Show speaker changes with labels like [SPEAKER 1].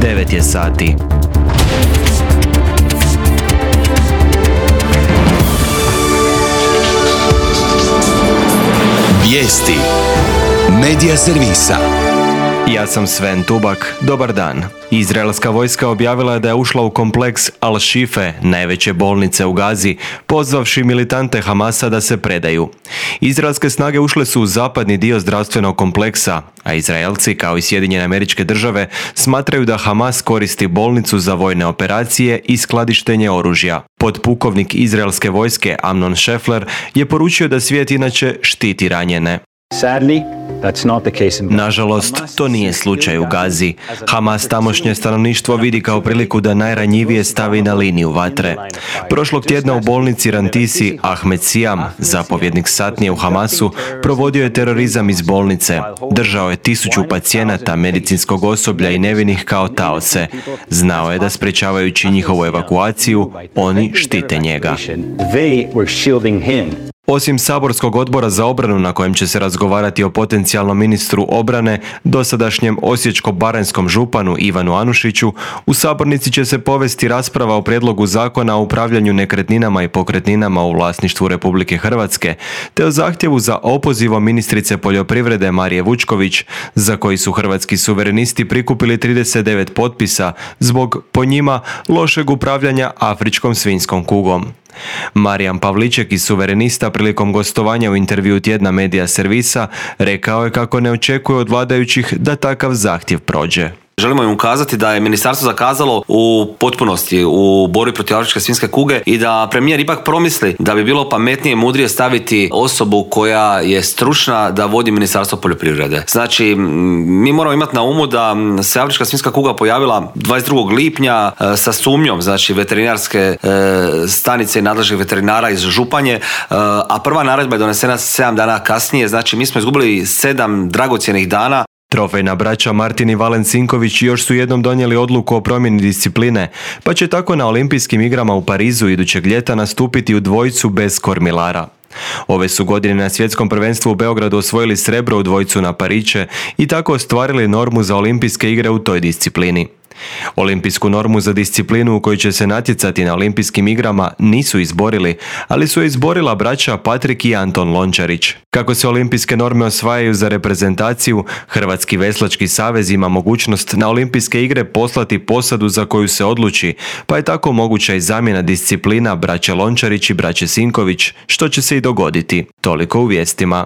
[SPEAKER 1] 9 je sati.
[SPEAKER 2] Vijesti Medija servisa.
[SPEAKER 1] Ja sam Sven Tubak, dobar dan. Izraelska vojska objavila je da je ušla u kompleks Al-Shife, najveće bolnice u Gazi, pozvavši militante Hamasa da se predaju. Izraelske snage ušle su u zapadni dio zdravstvenog kompleksa, a Izraelci, kao i Sjedinjene Američke Države, smatraju da Hamas koristi bolnicu za vojne operacije i skladištenje oružja. Podpukovnik izraelske vojske Amnon Šefler je poručio da svijet inače štiti ranjene. Nažalost, to nije slučaj u Gazi. Hamas tamošnje stanovništvo vidi kao priliku da najranjivije stavi na liniju vatre. Prošlog tjedna u bolnici Rantisi Ahmed Siam, zapovjednik satnije u Hamasu, provodio je terorizam iz bolnice. Držao je 1000 pacijenata, medicinskog osoblja i nevinih kao taoce. Znao je da sprečavajući njihovu evakuaciju, oni štite njega. Osim saborskog odbora za obranu na kojem će se razgovarati o potencijalnom ministru obrane, dosadašnjem osječko-baranjskom županu Ivanu Anušiću, u sabornici će se povesti rasprava o prijedlogu zakona o upravljanju nekretninama i pokretninama u vlasništvu Republike Hrvatske, te o zahtjevu za opozivom ministrice poljoprivrede Marije Vučković, za koji su hrvatski suverenisti prikupili 39 potpisa zbog, po njima, lošeg upravljanja afričkom svinjskom kugom. Marijan Pavliček iz Suverenista prilikom gostovanja u intervjuu tjedna Medija servisa rekao je kako ne očekuje od vladajućih da takav zahtjev prođe.
[SPEAKER 3] Želimo im ukazati da je ministarstvo zakazalo u potpunosti u borbi protiv afričke svinjske kuge i da premijer ipak promisli da bi bilo pametnije i mudrije staviti osobu koja je stručna da vodi ministarstvo poljoprivrede. Znači, mi moramo imati na umu da se afrička svinjska kuga pojavila 22. lipnja sa sumnjom, znači veterinarske stanice i nadležnih veterinara iz Županje, a prva naredba je donesena 7 dana kasnije, znači mi smo izgubili 7 dragocjenih dana.
[SPEAKER 1] Trofejna braća Martin i Valen Sinković još su jednom donijeli odluku o promjeni discipline, pa će tako na Olimpijskim igrama u Parizu idućeg ljeta nastupiti u dvojcu bez kormilara. Ove su godine na svjetskom prvenstvu u Beogradu osvojili srebro u dvojcu na pariće i tako ostvarili normu za Olimpijske igre u toj disciplini. Olimpijsku normu za disciplinu u kojoj će se natjecati na Olimpijskim igrama nisu izborili, ali su je izborila braća Patrik i Anton Lončarić. Kako se olimpijske norme osvajaju za reprezentaciju, Hrvatski veslački savez ima mogućnost na Olimpijske igre poslati posadu za koju se odluči, pa je tako moguća i zamjena disciplina braće Lončarić i braće Sinković, što će se i dogoditi. Toliko u vijestima.